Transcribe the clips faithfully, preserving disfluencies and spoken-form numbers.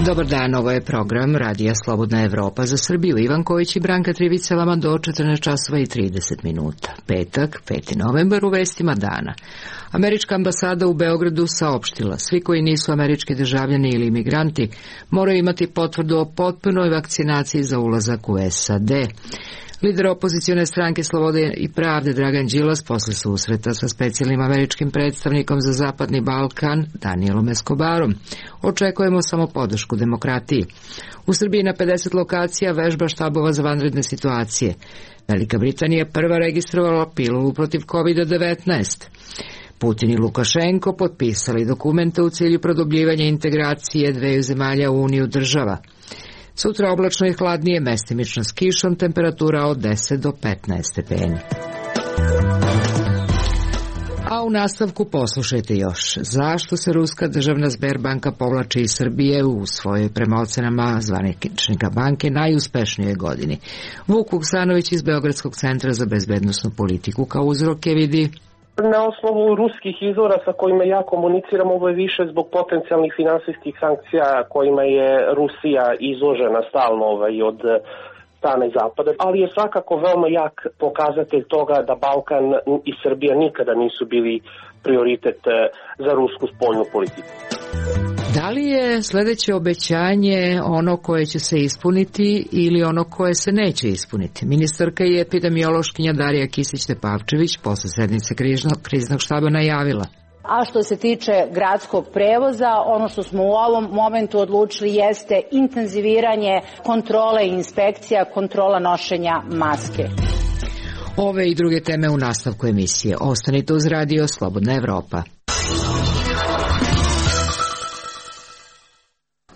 Dobar dan, ovo je program Radija Slobodna Evropa za Srbiju. Ivan Kojić i Branka Trivica vama do četrnaest časova i trideset minuta. Petak, peti novembar, u vestima dana. Američka ambasada u Beogradu saopštila: svi koji nisu američki državljani ili imigranti moraju imati potvrdu o potpunoj vakcinaciji za ulazak u S A D. Lider opozicione stranke Slobode i pravde Dragan Đilas posle susreta sa specijalnim američkim predstavnikom za Zapadni Balkan Danielom Escobarom očekujemo samo podršku demokratiji. U Srbiji na pedeset lokacija vežba štabova za vanredne situacije. Velika Britanija je prva registrovala pilulu protiv kovid devetnaest. Putin i Lukašenko potpisali dokumente u cilju produbljivanja integracije dveju zemalja u Uniju država. Sutra oblačno i hladnije, mestimično s kišom, temperatura od deset do petnaest stepeni. A u nastavku poslušajte još. Zašto se Ruska državna Sberbanka povlači iz Srbije u svojoj, prema ocenama zvaničnika banke, najuspešnijoj godini? Vuk Vuksanović iz Beogradskog centra za bezbednosnu politiku kao uzroke vidi: na osnovu ruskih izvora sa kojima ja komuniciram, ovo je više zbog potencijalnih finansijskih sankcija kojima je Rusija izložena stalno ovaj, od strane Zapada, ali je svakako veoma jak pokazatelj toga da Balkan i Srbija nikada nisu bili prioritet za rusku spoljnu politiku. Da li je sledeće obećanje ono koje će se ispuniti ili ono koje se neće ispuniti? Ministarka i epidemiološkinja Darija Kisić-Tepavčević posle sednice kriznog, kriznog štaba najavila: a što se tiče gradskog prevoza, ono što smo u ovom momentu odlučili jeste intenziviranje kontrole i inspekcija, kontrola nošenja maske. Ove i druge teme u nastavku emisije. Ostanite uz Radio Slobodna Evropa.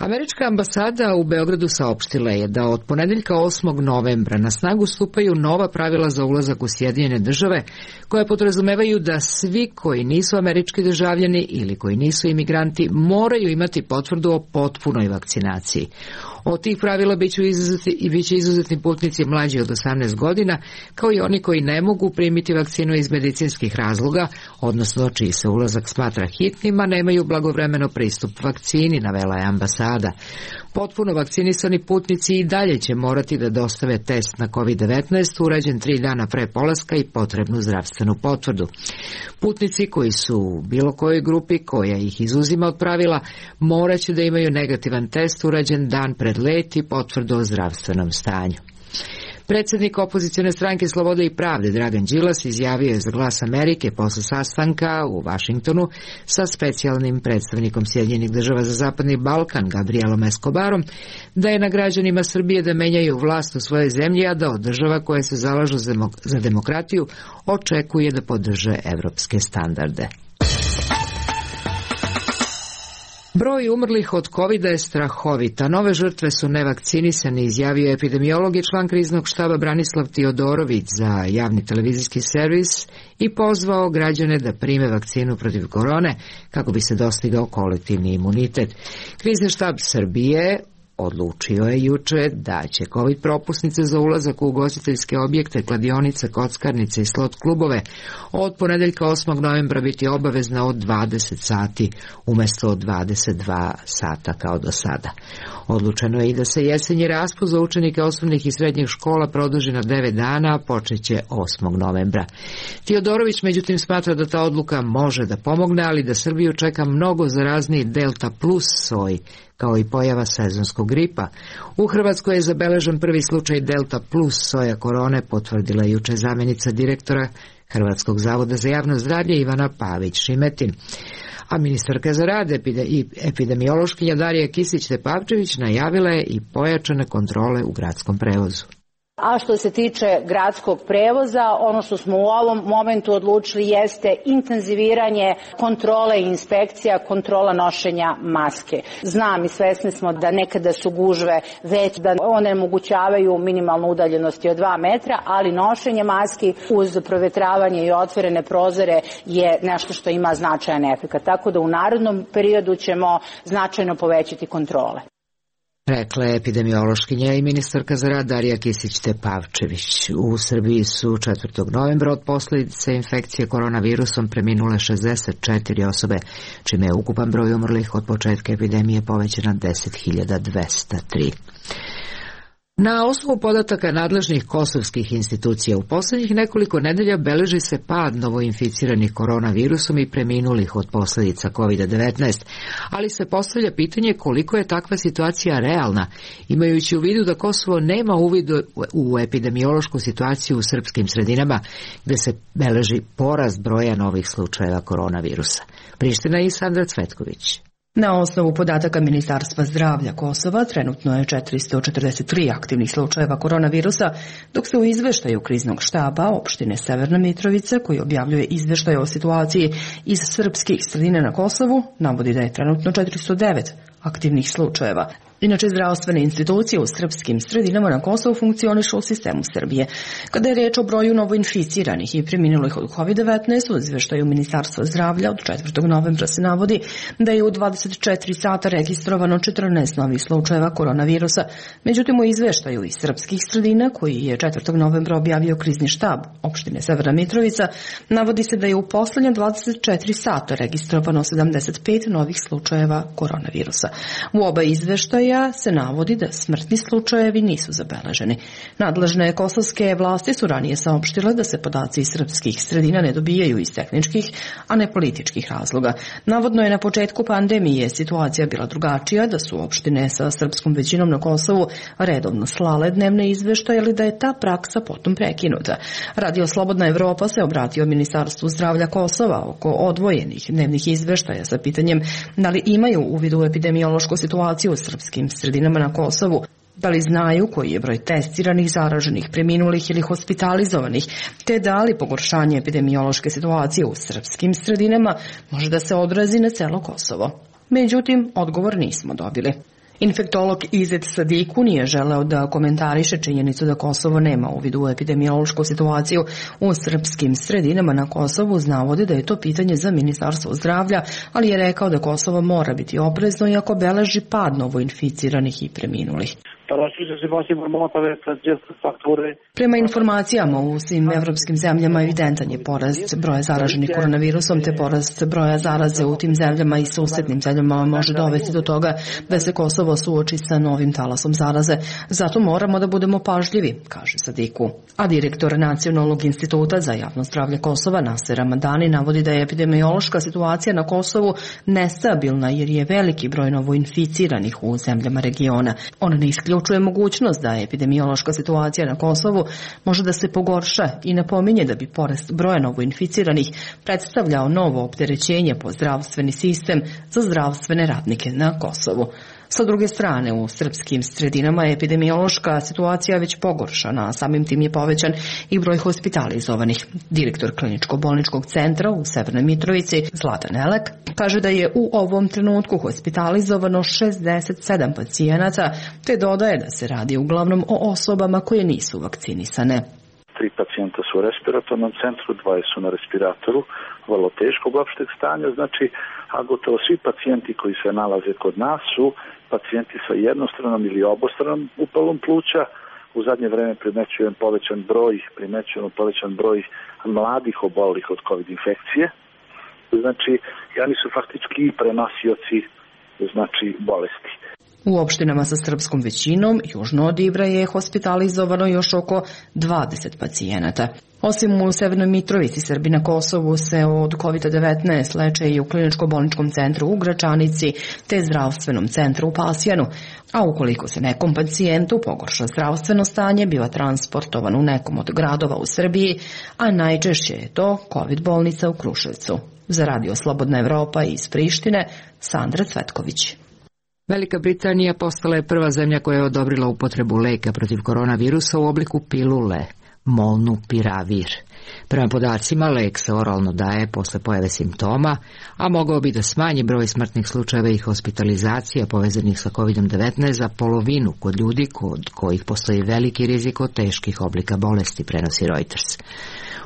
Američka ambasada u Beogradu saopštila je da od ponedeljka osmog novembra na snagu stupaju nova pravila za ulazak u Sjedinjene države, koje podrazumevaju da svi koji nisu američki državljani ili koji nisu imigranti moraju imati potvrdu o potpunoj vakcinaciji. Od tih pravila biće izuzeti i biće izuzetni putnici mlađi od osamnaest godina, kao i oni koji ne mogu primiti vakcinu iz medicinskih razloga, odnosno čiji se ulazak smatra hitnim, a nemaju blagovremeno pristup vakcini, navela je ambasada. Potpuno vakcinisani putnici i dalje će morati da dostave test na kovid devetnaest urađen tri dana pre polaska i potrebnu zdravstvenu potvrdu. Putnici koji su u bilo kojoj grupi koja ih izuzima od pravila moraće da imaju negativan test urađen dan pred let i potvrdu o zdravstvenom stanju. Predsjednik opozicione stranke Slobode i pravde Dragan Đilas izjavio je za Glas Amerike posle sastanka u Vašingtonu sa specijalnim predstavnikom Sjedinjenih država za Zapadni Balkan Gabrielom Escobarom da je na građanima Srbije da menjaju vlast u svojoj zemlji, a da od država koje se zalažu za demokratiju očekuje da podrže evropske standarde. Broj umrlih od kovida je strahovita. Nove žrtve su nevakcinisane, izjavio epidemiolog i član kriznog štaba Branislav Tiodorović za javni televizijski servis i pozvao građane da prime vakcinu protiv korone kako bi se dostigao kolektivni imunitet. Krizni štab Srbije odlučio je juče da će COVID propusnice za ulazak u ugostiteljske objekte, kladionice, kockarnice i slot klubove od ponedeljka osmog novembra biti obavezna od dvadeset sati umesto od dvadeset dva sata kao do sada. Odlučeno je i da se jesenji raspust za učenike osnovnih i srednjih škola produži na devet dana, a počeće osmog novembra. Tiodorović međutim smatra da ta odluka može da pomogne, ali da Srbiju čeka mnogo zarazniji Delta plus soj, kao i pojava sezonskog gripa. U Hrvatskoj je zabeležen prvi slučaj Delta plus soja korone, potvrdila juče zamjenica direktora Hrvatskog zavoda za javno zdravlje Ivana Pavić-Šimetin. A ministarka za rad i epidemiološkinja Darija Kisić-Tepavčević najavila je i pojačane kontrole u gradskom prevozu. A što se tiče gradskog prevoza, ono što smo u ovom momentu odlučili jeste intenziviranje kontrole i inspekcija, kontrola nošenja maske. Znam i svesni smo da nekada su gužve već da one omogućavaju minimalnu udaljenosti od dva metra, ali nošenje maski uz provetravanje i otvorene prozore je nešto što ima značajan efekat. Tako da u narednom periodu ćemo značajno povećati kontrole. Rekla je epidemiološkinja i ministarka za rad Darija Kisić-Tepavčević. U Srbiji su četvrtog novembra od posljedice infekcije koronavirusom preminule šezdeset četiri osobe, čime je ukupan broj umrlih od početka epidemije povećan na deset hiljada dvesta tri. Na osnovu podataka nadležnih kosovskih institucija u posljednjih nekoliko nedelja beleži se pad novoinficiranih koronavirusom i preminulih od posljedica kovid devetnaest, ali se postavlja pitanje koliko je takva situacija realna, imajući u vidu da Kosovo nema uvid u epidemiološku situaciju u srpskim sredinama, gde se beleži porast broja novih slučajeva koronavirusa. Priština i Sandra Cvetković. Na osnovu podataka Ministarstva zdravlja Kosova trenutno je četiristo četrdeset tri aktivnih slučajeva koronavirusa, dok se u izveštaju kriznog štaba opštine Severna Mitrovica, koji objavljuje izveštaj o situaciji iz srpskih sredina na Kosovu, navodi da je trenutno četiristo devet aktivnih slučajeva. Inače, zdravstvene institucije u srpskim sredinama na Kosovu funkcionišu u sistemu Srbije. Kada je reč o broju novoinficiranih i preminulih od kovid devetnaest, u izveštaju Ministarstva zdravlja od četvrtog novembra se navodi da je u dvadeset četiri sata registrovano četrnaest novih slučajeva koronavirusa. Međutim, u izveštaju iz srpskih sredina, koji je četvrtog novembra objavio krizni štab opštine Severna Mitrovica, navodi se da je u poslednje dvadeset četiri sata registrovano sedamdeset pet novih slučajeva koronavirusa. U oba izveštaja se navodi da smrtni slučajevi nisu zabeleženi. Nadležne kosovske vlasti su ranije saopštile da se podaci iz srpskih sredina ne dobijaju iz tehničkih, a ne političkih razloga. Navodno je na početku pandemije situacija bila drugačija, da su opštine sa srpskom većinom na Kosovu redovno slale dnevne izveštaje, ali da je ta praksa potom prekinuta. Radio Slobodna Evropa se obratio Ministarstvu zdravlja Kosova oko odvojenih dnevnih izveštaja sa pitanjem da li imaju uvid u epidemiološku situaciju u srpskim sredinama na Kosovu, da li znaju koji je broj testiranih, zaraženih, preminulih ili hospitalizovanih, te da li pogoršanje epidemiološke situacije u srpskim sredinama može da se odrazi na celo Kosovo. Međutim, odgovor nismo dobili. Infektolog Izet Sadiku nije želeo da komentariše činjenicu da Kosovo nema uvid u epidemiološku situaciju u srpskim sredinama na Kosovu, navodi da je to pitanje za Ministarstvo zdravlja, ali je rekao da Kosovo mora biti oprezno iako beleži pad novoinficiranih i preminulih. Prema informacijama u svim evropskim zemljama evidentan je porast broja zaraženih koronavirusom, te porast broja zaraze u tim zemljama i susednim zemljama može dovesti do toga da se Kosovo suoči sa novim talasom zaraze. Zato moramo da budemo pažljivi, kaže Sadiku. A direktor Nacionalnog instituta za javno zdravlje Kosova, Naser Ramadani, navodi da je epidemiološka situacija na Kosovu nestabilna jer je veliki broj novoinficiranih u zemljama regiona. On ne isključuje mogućnost da epidemiološka situacija na Kosovu može da se pogorša i napominje da bi porast broja novoinficiranih predstavljao novo opterećenje po zdravstveni sistem za zdravstvene radnike na Kosovu. Sa druge strane, u srpskim sredinama je epidemiološka situacija već pogoršana, a samim tim je povećan i broj hospitalizovanih. Direktor kliničko-bolničkog centra u Severnoj Mitrovici, Zlatan Elek, kaže da je u ovom trenutku hospitalizovano šezdeset sedam pacijenata, te dodaje da se radi uglavnom o osobama koje nisu vakcinisane. Tri pacijenta su u respiratornom centru, dva su na respiratoru, vrlo teškog opšteg stanja, znači, a gotovo svi pacijenti koji se nalaze kod nas su pacijenti sa jednostranom ili obostranom upalom pluća. U zadnje vreme primećujem povećan broj, primećujemo povećan broj mladih obolelih od COVID infekcije. Znači, oni su faktički i prenosioci, znači, bolesti. U opštinama sa srpskom većinom, južno od Ibra, je hospitalizovano još oko dvadeset pacijenata. Osim u Severnoj Mitrovici, Srbi na Kosovu se od kovid devetnaest leče i u kliničko-bolničkom centru u Gračanici te zdravstvenom centru u Pasjanu, a ukoliko se nekom pacijentu pogorša zdravstveno stanje, biva transportovan u nekom od gradova u Srbiji, a najčešće je to kovid bolnica u Kruševcu. Za Radio Slobodna Evropa iz Prištine, Sandra Cvetković. Velika Britanija postala je prva zemlja koja je odobrila upotrebu leka protiv koronavirusa u obliku pilule, molnupiravir. Prema podacima, lek se oralno daje posle pojave simptoma, a mogao bi da smanji broj smrtnih slučajeva i hospitalizacija povezanih sa kovid devetnaest za polovinu kod ljudi kod kojih postoji veliki rizik od teških oblika bolesti, prenosi Reuters.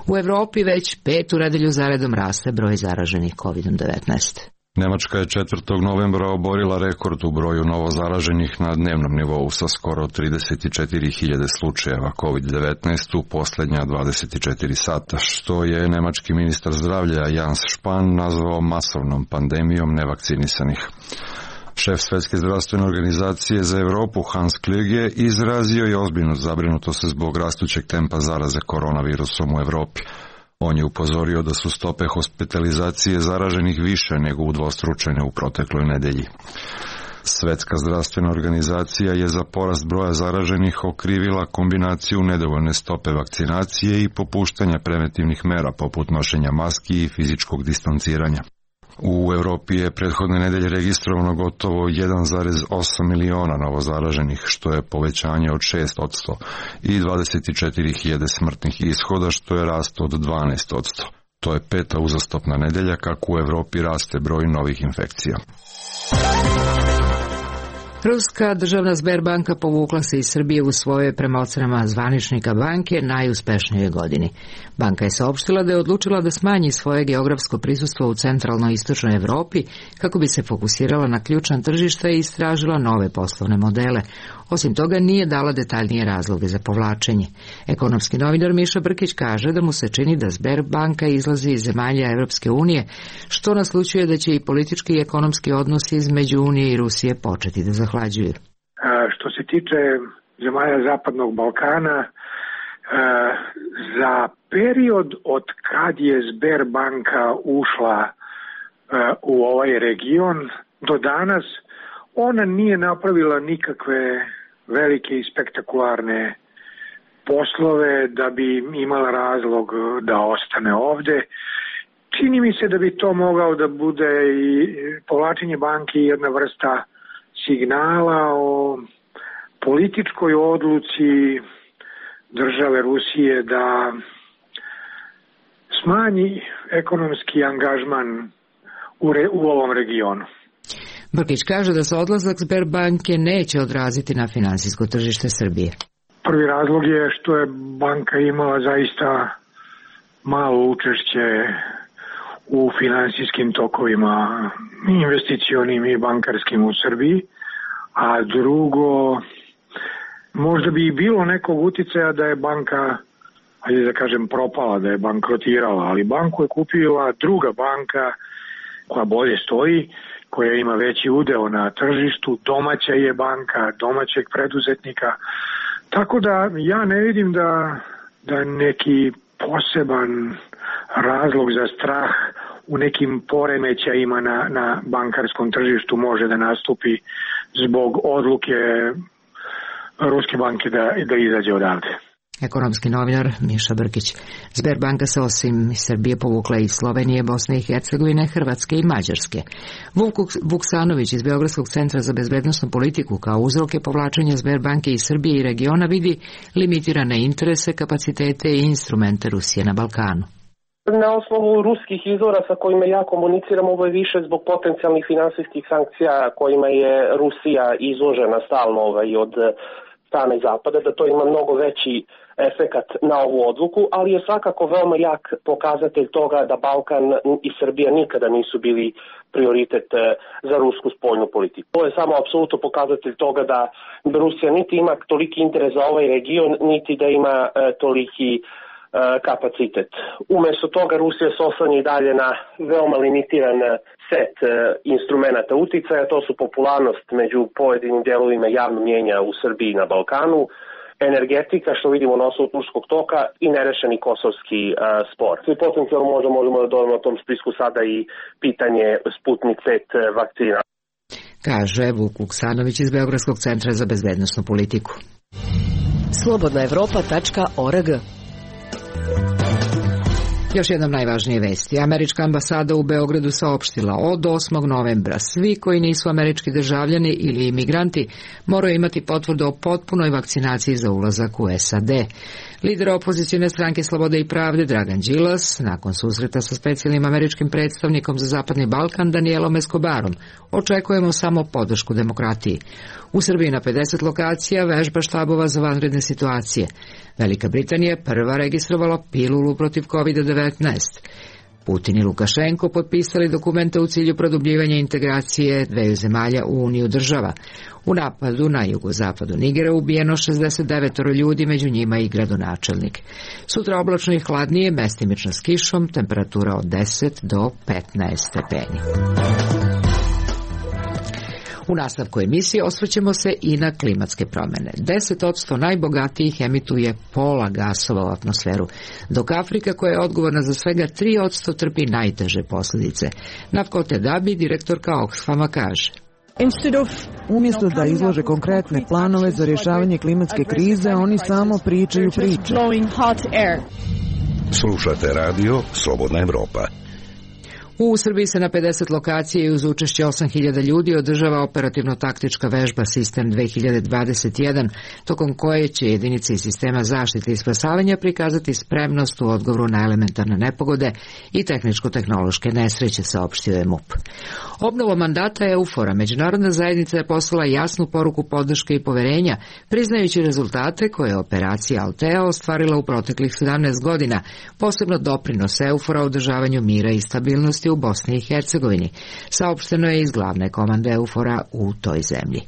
U Evropi već petu nedelju zaredom raste broj zaraženih kovid devetnaest. Nemačka je četvrtog novembra oborila rekord u broju novozaraženih na dnevnom nivou sa skoro trideset četiri hiljade slučajeva kovid devetnaest u posljednja dvadeset četiri sata, što je nemački ministar zdravlja Jens Spahn nazvao masovnom pandemijom nevakcinisanih. Šef Svetske zdravstvene organizacije za Evropu Hans Kluge izrazio je ozbiljnu zabrinutost zbog rastućeg tempa zaraze koronavirusom u Evropi. On je upozorio da su stope hospitalizacije zaraženih više nego udvostručene u protekloj nedelji. Svetska zdravstvena organizacija je za porast broja zaraženih okrivila kombinaciju nedovoljne stope vakcinacije i popuštanja preventivnih mera poput nošenja maski i fizičkog distanciranja. U Evropi je prethodne nedelje registrovano gotovo jedan zarez osam miliona novozaraženih, što je povećanje od šest posto i dvadeset četiri hiljade smrtnih ishoda, što je rast od dvanaest posto. To je peta uzastopna nedelja kako u Evropi raste broj novih infekcija. Ruska državna Sberbanka povukla se iz Srbije u svojoj, prema ocenama zvaničnika banke, najuspešnijoj godini. Banka je saopštila da je odlučila da smanji svoje geografsko prisustvo u centralnoj istočnoj Evropi kako bi se fokusirala na ključna tržišta i istražila nove poslovne modele. Osim toga, nije dala detaljnije razloge za povlačenje. Ekonomski novinar Miša Brkić kaže da mu se čini da Sberbanka izlazi iz zemalja Evropske unije, što naslućuje da će i politički i ekonomski odnosi između Unije i Rusije početi da zahlađuju. Što se tiče zemalja Zapadnog Balkana, za period od kad je Sberbanka ušla u ovaj region do danas, ona nije napravila nikakve velike i spektakularne poslove da bi imala razlog da ostane ovde. Čini mi se da bi to mogao da bude i povlačenje banke jedna vrsta signala o političkoj odluci države Rusije da smanji ekonomski angažman u, re, u ovom regionu. Brkić kaže da se odlazak Sberbanke neće odraziti na finansijsko tržište Srbije. Prvi razlog je što je banka imala zaista malo učešće u finansijskim tokovima, investicionim i bankarskim u Srbiji, a drugo, možda bi i bilo nekog uticaja da je banka, ajde da kažem, propala, da je bankrotirala, ali banku je kupila druga banka koja bolje stoji, koja ima veći udeo na tržištu, domaća je banka, domaćeg preduzetnika. Tako da ja ne vidim da, da neki poseban razlog za strah u nekim poremećajima na, na bankarskom tržištu može da nastupi zbog odluke Ruske banke da, da izađe odavde. Ekonomski novinar Miša Brkić. Sberbanka se osim Srbije povukla iz Slovenije, Bosne i Hercegovine, Hrvatske i Mađarske. Vuk Vuksanović iz Beogradskog centra za bezbednosnu politiku kao uzroke povlačenja Sberbanke iz Srbije i regiona vidi limitirane interese, kapacitete i instrumente Rusije na Balkanu. Na osnovu ruskih izvora sa kojima ja komuniciram, ovo je više zbog potencijalnih finansijskih sankcija kojima je Rusija izložena stalno ovaj, od strane Zapada, da to ima mnogo veći efekat na ovu odluku, ali je svakako veoma jak pokazatelj toga da Balkan i Srbija nikada nisu bili prioritet za rusku spoljnu politiku. To je samo apsolutno pokazatelj toga da Rusija niti ima toliki interes za ovaj region, niti da ima e, toliki e, kapacitet. Umesto toga Rusija se oslanja i dalje na veoma limitiran set e, instrumenta uticaja, to su popularnost među pojedinim delovima javnog mnjenja u Srbiji i na Balkanu, energetika, što vidimo na osnovu turskog toka, i nerešeni kosovski uh, spor. I potencijalno možda možemo da dodamo na tom spisku sada i pitanje Sputnik pet vakcina. Kaže Vuk Vuksanović iz Beogradskog centra za bezbednosnu politiku. slobodna evropa tačka org. Još jednom najvažnije vesti. Američka ambasada u Beogradu saopštila od osmog novembra svi koji nisu američki državljani ili imigranti moraju imati potvrdu o potpunoj vakcinaciji za ulazak u S A D. Lider opozicijne stranke Slobode i pravde Dragan Đilas, nakon susreta sa specijalnim američkim predstavnikom za Zapadni Balkan Danielom Escobarom, očekujemo samo podršku demokratiji. U Srbiji na pedeset lokacija vežba štabova za vanredne situacije. Velika Britanija prva registrovala pilulu protiv kovid devetnaest. Putin i Lukašenko potpisali dokumente u cilju produbljivanja integracije dveju zemalja u Uniju država. U napadu na jugozapadu Nigera ubijeno šezdeset devet ljudi, među njima i gradonačelnik. Sutra oblačno i hladnije, mestimično s kišom, temperatura od deset do petnaest stepeni. U nastavku emisije osvrćemo se i na klimatske promjene. deset posto najbogatijih emituje pola gasova u atmosferu, dok Afrika, koja je odgovorna za svega tri posto, trpi najteže posljedice. Nafkote Dabi, direktorka Oxfama, kaže: Umjesto da izlože konkretne planove za rješavanje klimatske krize, oni samo pričaju priče. Slušate radio Slobodna Evropa. U Srbiji se na pedeset lokacija i uz učešće osam hiljada ljudi održava operativno-taktička vežba Sistem dve hiljade dvadeset jedan, tokom koje će jedinice iz sistema zaštite i spasavanja prikazati spremnost u odgovoru na elementarne nepogode i tehničko-tehnološke nesreće, saopštio je MUP. Obnovom mandata EUFOR-a međunarodna zajednica je poslala jasnu poruku podrške i poverenja, priznajući rezultate koje je operacija Altea ostvarila u proteklih sedamnaest godina, posebno doprinos EUFOR-a u održavanju mira i stabilnosti u Bosni i Hercegovini, saopšteno je iz glavne komande EUFOR-a u toj zemlji.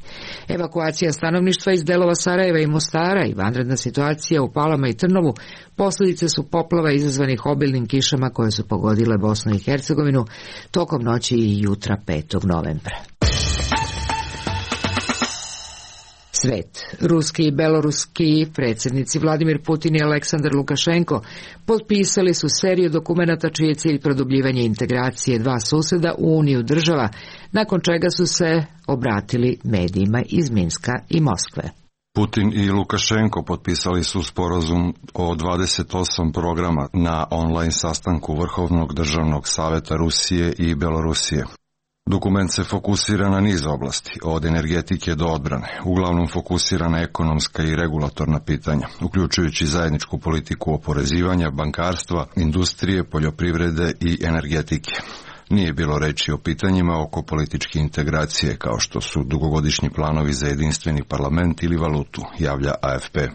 Evakuacija stanovništva iz delova Sarajeva i Mostara i vanredna situacija u Palama i Trnovu posljedice su poplava izazvanih obilnim kišama koje su pogodile Bosnu i Hercegovinu tokom noći i jutra petog novembra. Svet. Ruski i beloruski predsjednici Vladimir Putin i Aleksandar Lukašenko potpisali su seriju dokumenata čiji je cilj produbljivanje integracije dva susjeda u Uniju država, nakon čega su se obratili medijima iz Minska i Moskve. Putin i Lukašenko potpisali su sporazum o dvadeset osam programa na online sastanku Vrhovnog državnog saveta Rusije i Belorusije. Dokument se fokusira na niz oblasti, od energetike do odbrane, uglavnom fokusira na ekonomska i regulatorna pitanja, uključujući zajedničku politiku oporezivanja, bankarstva, industrije, poljoprivrede i energetike. Nije bilo reči o pitanjima oko političke integracije, kao što su dugogodišnji planovi za jedinstveni parlament ili valutu, javlja A F P.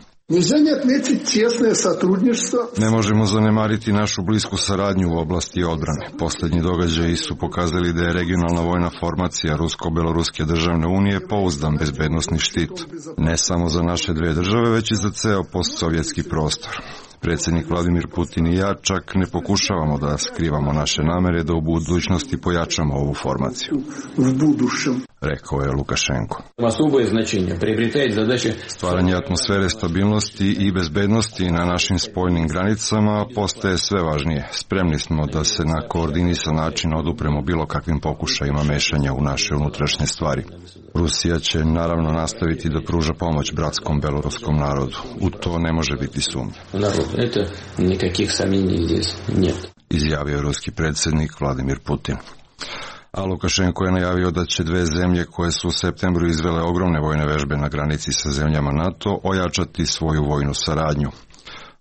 Ne možemo zanemariti našu blisku saradnju u oblasti odbrane. Posljednji događaji su pokazali da je regionalna vojna formacija Rusko-Beloruske državne unije pouzdan bezbednosni štit, ne samo za naše dve države, već i za ceo postsovjetski prostor. Predsjednik Vladimir Putin i ja čak ne pokušavamo da skrivamo naše namere da u budućnosti pojačamo ovu formaciju, rekao je Lukašenko. Stvaranje atmosfere stabilnosti i bezbednosti na našim spoljnim granicama postaje sve važnije. Spremni smo da se na koordinisan način odupremo bilo kakvim pokušajima mešanja u naše unutrašnje stvari. Rusija će naravno nastaviti da pruža pomoć bratskom beloruskom narodu. U to ne može biti sumnje. Это никаких сомнений здесь нет. Izjavio je ruski predsjednik Vladimir Putin. A Lukašenko je najavio da će dve zemlje koje su u septembru izvele ogromne vojne vežbe na granici sa zemljama NATO ojačati svoju vojnu saradnju.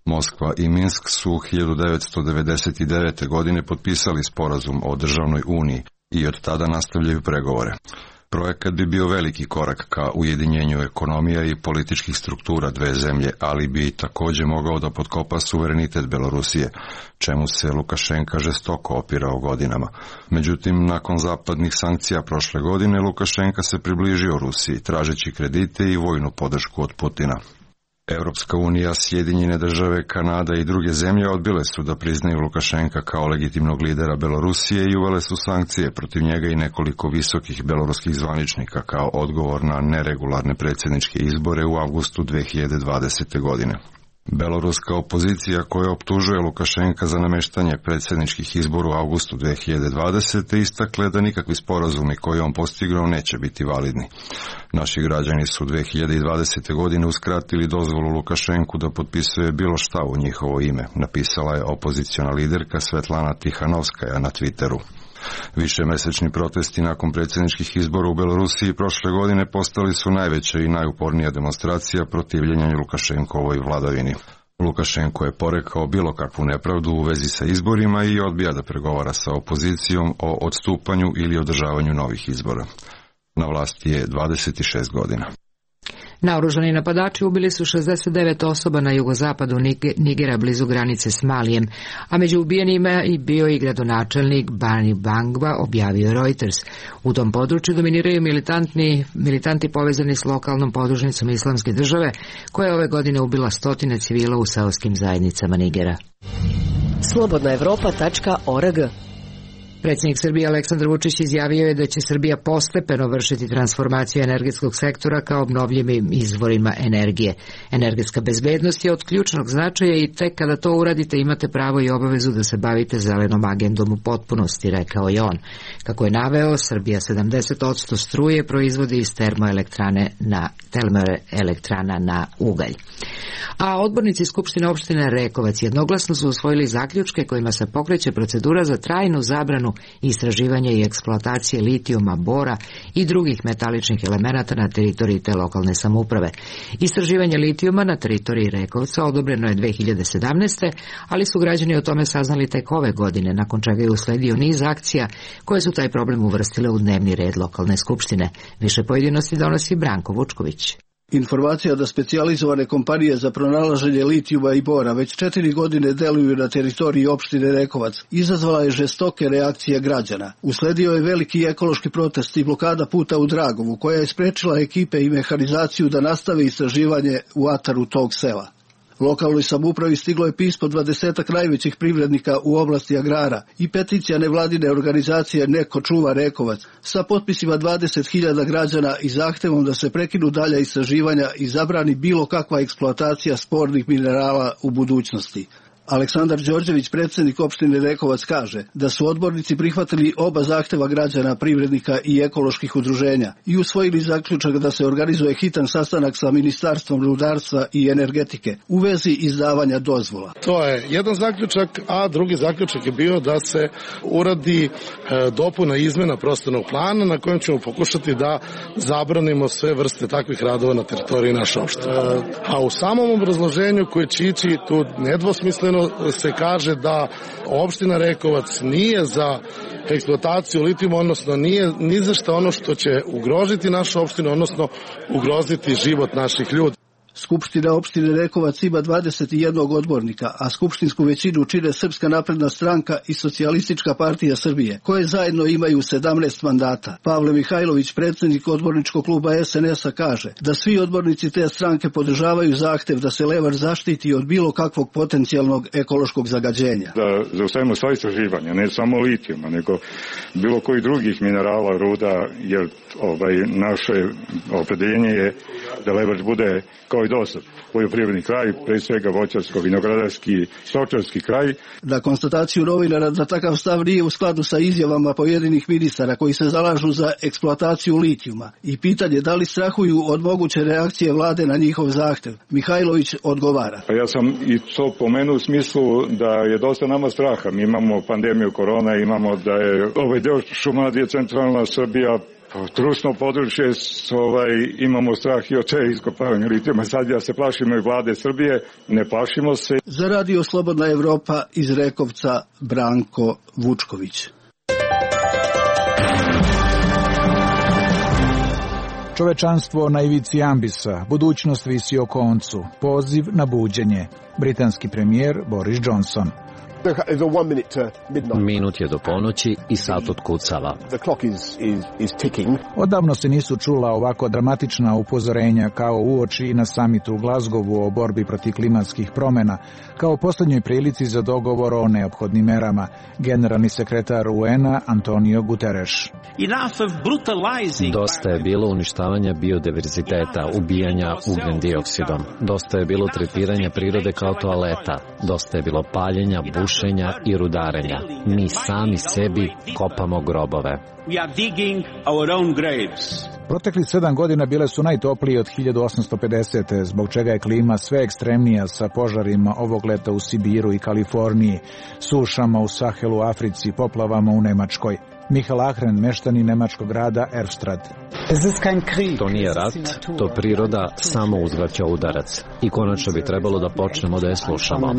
Moskva i Minsk su hiljadu devetsto devedeset devete. godine potpisali sporazum o državnoj uniji i od tada nastavljaju pregovore. Projekat bi bio veliki korak ka ujedinjenju ekonomija i političkih struktura dve zemlje, ali bi također mogao da potkopa suverenitet Belorusije, čemu se Lukašenka žestoko opirao godinama. Međutim, nakon zapadnih sankcija prošle godine, Lukašenka se približio Rusiji, tražeći kredite i vojnu podršku od Putina. Europska unija, Sjedinjene države, Kanada i druge zemlje odbile su da priznaju Lukašenka kao legitimnog lidera Belorusije i uvele su sankcije protiv njega i nekoliko visokih beloruskih zvaničnika kao odgovor na neregularne predsjedničke izbore u avgustu dve hiljade dvadesete. godine. Beloruska opozicija koja optužuje Lukašenka za nameštanje predsjedničkih izbora u avgustu dve hiljade dvadesete. istakle da nikakvi sporazumi koje on postigao neće biti validni. Naši građani su dve hiljade dvadesete. godine uskratili dozvolu Lukašenku da potpisuje bilo šta u njihovo ime, napisala je opoziciona liderka Svetlana Tihanovskaja na Twitteru. Višemesečni protesti nakon predsjedničkih izbora u Belorusiji prošle godine postali su najveća i najupornija demonstracija protivljenja Lukašenkovoj vladavini. Lukašenko je porekao bilo kakvu nepravdu u vezi sa izborima i odbija da pregovara sa opozicijom o odstupanju ili održavanju novih izbora. Na vlasti je dvadeset šest godina. Naoružani napadači ubili su šezdeset devet osoba na jugozapadu Nigera blizu granice s Malijem, a među ubijenima i bio i gradonačelnik Bani Bangba, objavio Reuters. U tom području dominiraju militantni, militanti povezani s lokalnom podružnicom Islamske države, koja je ove godine ubila stotine civila u seoskim zajednicama Nigera. slobodna evropa tačka org. Predsjednik Srbije Aleksandar Vučić izjavio je da će Srbija postepeno vršiti transformaciju energetskog sektora ka obnovljivim izvorima energije. Energetska bezbednost je od ključnog značaja i tek kada to uradite imate pravo i obavezu da se bavite zelenom agendom u potpunosti, rekao je on. Kako je naveo, Srbija sedamdeset posto struje proizvodi iz termoelektrane na, termoelektrana na ugalj. A odbornici Skupštine opštine Rekovac jednoglasno su usvojili zaključke kojima se pokreće procedura za trajnu zabranu istraživanja i eksploatacije litijuma, bora i drugih metaličnih elemenata na teritoriji te lokalne samouprave. Istraživanje litijuma na teritoriji Rekovca odobreno je dve hiljade sedamnaeste. ali su građani o tome saznali tek ove godine, nakon čega je usledio niz akcija koje su taj problem uvrstile u dnevni red lokalne skupštine. Više pojedinosti donosi Branko Vučković. Informacija da specijalizovane kompanije za pronalaženje litijuma i bora već četiri godine deluju na teritoriji opštine Rekovac izazvala je žestoke reakcije građana. Usledio je veliki ekološki protest i blokada puta u Dragovu, koja je sprečila ekipe i mehanizaciju da nastave istraživanje u ataru tog sela. Lokalnoj samoupravi stiglo je pismo dvadesetak najvećih privrednika u oblasti agrara i peticija nevladine organizacije Neko čuva Rekovac sa potpisima dvadeset hiljada građana i zahtevom da se prekinu dalja istraživanja i zabrani bilo kakva eksploatacija spornih minerala u budućnosti. Aleksandar Đorđević, predsjednik opštine Rekovac, kaže da su odbornici prihvatili oba zahteva građana, privrednika i ekoloških udruženja i usvojili zaključak da se organizuje hitan sastanak sa Ministarstvom rudarstva i energetike u vezi izdavanja dozvola. To je jedan zaključak, a drugi zaključak je bio da se uradi e, dopuna izmena prostornog plana na kojem ćemo pokušati da zabranimo sve vrste takvih radova na teritoriji naše opštine. E, a u samom obrazloženju koje će ići tu nedvosmisleno se kaže da opština Rekovac nije za eksploataciju litijuma, odnosno nije ni za šta ono što će ugroziti našu opštinu, odnosno ugroziti život naših ljudi. Skupština opštine Rekovac ima dvadeset jedan odbornika, a skupštinsku većinu čine Srpska napredna stranka i Socijalistička partija Srbije, koje zajedno imaju sedamnaest mandata. Pavle Mihajlović, predsjednik odborničkog kluba es en es a, kaže da svi odbornici te stranke podržavaju zahtev da se Levar zaštiti od bilo kakvog potencijalnog ekološkog zagađenja. Da zaustavimo sva istraživanja, ne samo litijuma, nego bilo koji drugih minerala, ruda, jer ovaj, naše opredeljenje je da Levar bude kao i dosad poljoprivredni kraj, pre svega voćarsko-vinogradarski, stočarski kraj. Da konstataciju novinara da takav stav nije u skladu sa izjavama pojedinih ministara koji se zalažu za eksploataciju litijuma i pitanje da li strahuju od moguće reakcije vlade na njihov zahtev, Mihajlović odgovara. Pa ja sam i to pomenuo u smislu da je dosta nama straha. Mi imamo pandemiju korona, imamo da je ovaj deo Šumadije, centralna Srbija, trusno područje, ovaj, imamo strah i od te iskopavanja litijuma. Sad ja se plašimo i vlade Srbije, ne plašimo se. Za Radio Slobodna Evropa iz Rekovca, Branko Vučković. Čovečanstvo na ivici ambisa, budućnost visi o koncu, poziv na buđenje. Britanski premijer Boris Johnson. Minut je do ponoći i sat otkucava. Odavno se nisu čula ovako dramatična upozorenja kao uoči na samitu u Glazgovu o borbi protiv klimatskih promjena, kao posljednjoj prilici za dogovor o neophodnim merama. Generalni sekretar u en a Antonio Guterres. Dosta je bilo uništavanja biodiverziteta, ubijanja ugljen dioksidom. Dosta je bilo tretiranja prirode kao toaleta. Dosta je bilo paljenja, bušenja i rudarenja. Mi sami sebi kopamo grobove. Proteklih sedam godina bile su najtoplije od hiljadu osamsto pedesete, zbog čega je klima sve ekstremnija sa požarima ovog leta u Sibiru i Kaliforniji, sušama u Sahelu u Africi, poplavama u Nemačkoj. Michael Ahren, meštanin nemačkog grada Erfstrad. To nije rat, to priroda samo uzvraća udarac. I konačno bi trebalo da počnemo da je slušamo.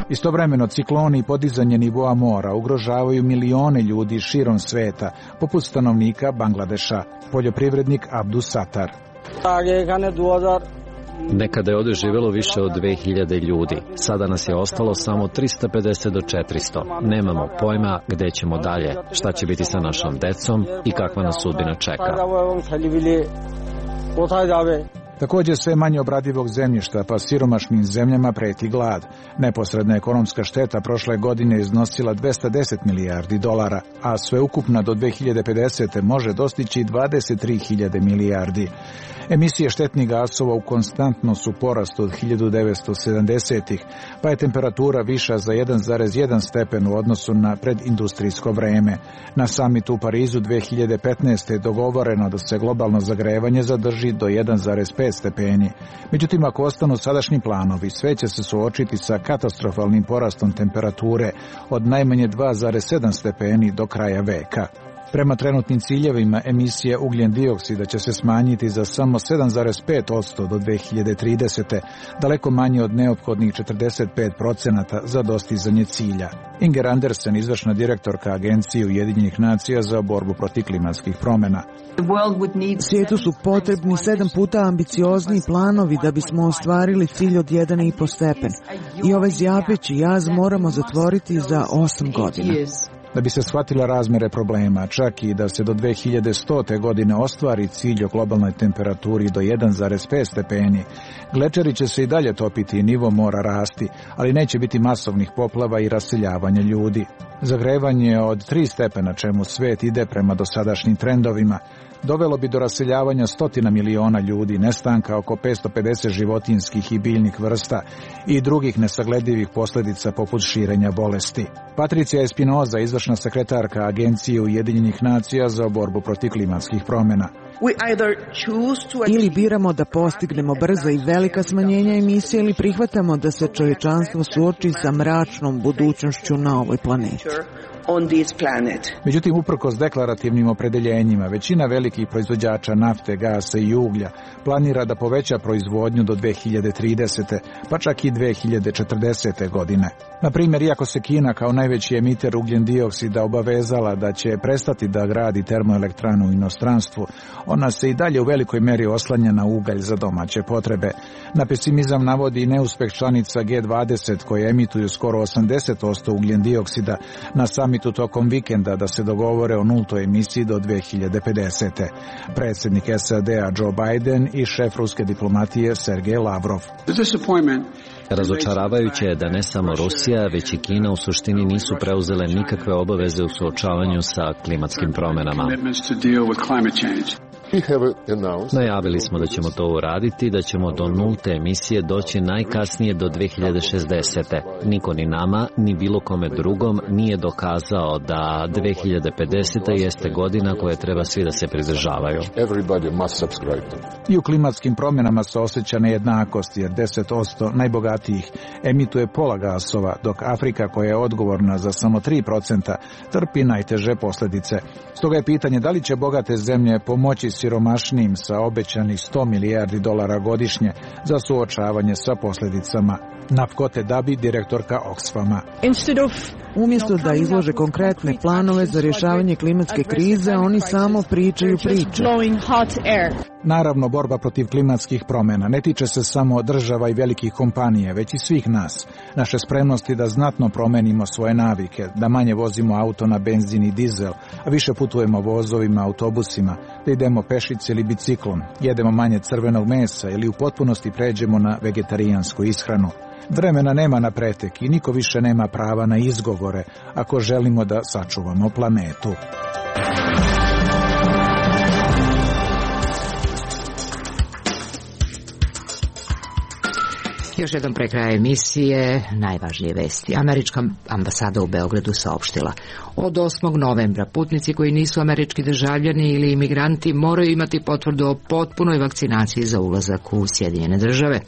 Istovremeno cikloni i podizanje nivoa mora ugrožavaju milione ljudi širom sveta, poput stanovnika Bangladeša. Poljoprivrednik Abdus Sattar. Nekada je ovdje živjelo više od dve hiljade ljudi. Sada nas je ostalo samo trista pedeset do četiristo. Nemamo pojma gde ćemo dalje, šta će biti sa našom decom i kakva nas sudbina čeka. Također sve manje obradivog zemljišta, pa siromašnim zemljama preti glad. Neposredna ekonomska šteta prošle godine iznosila dvesta deset milijardi dolara, a sveukupna do dve hiljade pedesete. može dostići dvadeset tri hiljade milijardi. Emisije štetnih gasova u konstantno su porastu od hiljadu devetsto sedamdesetih. pa je temperatura viša za jedan zarez jedan stepen u odnosu na predindustrijsko vreme. Na samitu u Parizu dve hiljade petnaeste. je dogovoreno da se globalno zagrevanje zadrži do jedan zarez pet stepeni. Međutim, ako ostanu sadašnji planovi, sve će se suočiti sa katastrofalnim porastom temperature od najmanje dva zarez sedam stepeni do kraja veka. Prema trenutnim ciljevima, emisije ugljen dioksida će se smanjiti za samo sedam zarez pet posto do dve hiljade tridesete. daleko manje od neophodnih četrdeset pet procenata za dostizanje cilja. Inger Andersen, izvršna direktorka Agencije Ujedinjenih nacija za borbu protiv klimatskih promjena. Svijetu su potrebni sedam puta ambiciozni planovi da bismo ostvarili cilj od jedan i po stepen. I ovaj zjapeći jaz moramo zatvoriti za osam godina. Da bi se shvatila razmere problema, čak i da se do dve hiljade stote. godine ostvari cilj o globalnoj temperaturi do jedan zarez pet stepeni, glečeri će se i dalje topiti i nivo mora rasti, ali neće biti masovnih poplava i raseljavanja ljudi. Zagrevanje od tri stepena, čemu svet ide prema dosadašnjim trendovima, dovelo bi do raseljavanja stotina miliona ljudi, nestanka oko petsto pedeset životinjskih i biljnih vrsta i drugih nesagledivih posljedica poput širenja bolesti. Patricija Espinoza, izvršna sekretarka Agencije Ujedinjenih nacija za borbu protiv klimatskih promjena. Ili biramo da postignemo brza i velika smanjenja emisije ili prihvatamo da se čovječanstvo suoči sa mračnom budućnošću na ovoj planeti. Međutim, uprkos deklarativnim opredeljenjima, većina velikih proizvođača nafte, gasa i uglja planira da poveća proizvodnju do dve hiljade tridesete. pa čak i dve hiljade četrdesete. godine. Na primjer, iako se Kina kao najveći emiter ugljen dioksida obavezala da će prestati da gradi termoelektranu u inostranstvu, ona se i dalje u velikoj meri oslanja na ugalj za domaće potrebe. Na pesimizam navodi i neuspeh članica G dvadeset koje emituju skoro osamdeset posto ugljen dioksida na samitu tokom vikenda da se dogovore o nultoj emisiji do dve hiljade pedesete. Predsjednik S A D-a Joe Biden i šef ruske diplomatije Sergej Lavrov. Razočaravajuće je da ne samo Rusija, već i Kina u suštini nisu preuzele nikakve obaveze u suočavanju sa klimatskim promjenama. Najavili smo da ćemo to uraditi, da ćemo do nulte emisije doći najkasnije do dve hiljade šezdesete. Niko ni nama, ni bilo kome drugom nije dokazao da dve hiljade pedesete. jeste godina koja treba svi da se pridržavaju. I u klimatskim promjenama se osjeća nejednakost, jer deset posto najbogatijih emituje pola gasova, dok Afrika, koja je odgovorna za samo tri procenta, trpi najteže posljedice. Stoga je pitanje da li će bogate zemlje pomoći siromašnijim sa obećanih sto milijardi dolara godišnje za suočavanje sa posljedicama. Nafkote Dabi, direktorka Oxfama. Umjesto da izlože konkretne planove za rješavanje klimatske krize, oni samo pričaju priče. Naravno, borba protiv klimatskih promjena ne tiče se samo država i velikih kompanija, već i svih nas. Naše spremnosti da znatno promenimo svoje navike, da manje vozimo auto na benzin i dizel, a više putujemo vozovima, autobusima, da idemo pešice ili biciklom, jedemo manje crvenog mesa ili u potpunosti pređemo na vegetarijansku ishranu. Vremena nema na pretek i niko više nema prava na izgovore ako želimo da sačuvamo planetu. Još jednom pre kraja emisije, najvažnije vesti. Američka ambasada u Beogradu saopštila: od osmog novembra putnici koji nisu američki državljani ili imigranti moraju imati potvrdu o potpunoj vakcinaciji za ulazak u Sjedinjene države.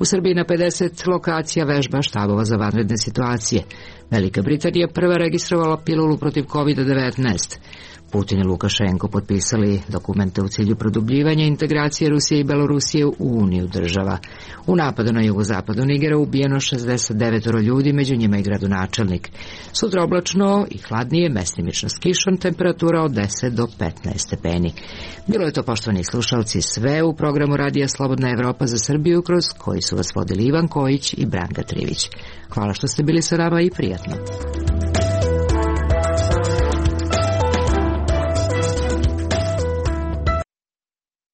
U Srbiji na pedeset lokacija vežba štabova za vanredne situacije. Velika Britanija prva registrovala pilulu protiv kovid devetnaest. Putin i Lukašenko potpisali dokumente u cilju produbljivanja integracije Rusije i Belorusije u Uniju država. U napadu na jugozapadu Nigera ubijeno šezdeset devet ljudi, među njima i gradonačelnik. Sutra oblačno i hladnije, mestimično s kišom, temperatura od deset do petnaest stepeni. Bilo je to, poštovani slušalci, sve u programu Radija Slobodna Evropa za Srbiju, kroz koji su vas vodili Ivan Kojić i Branka Trivić. Hvala što ste bili sa nama i prijatno.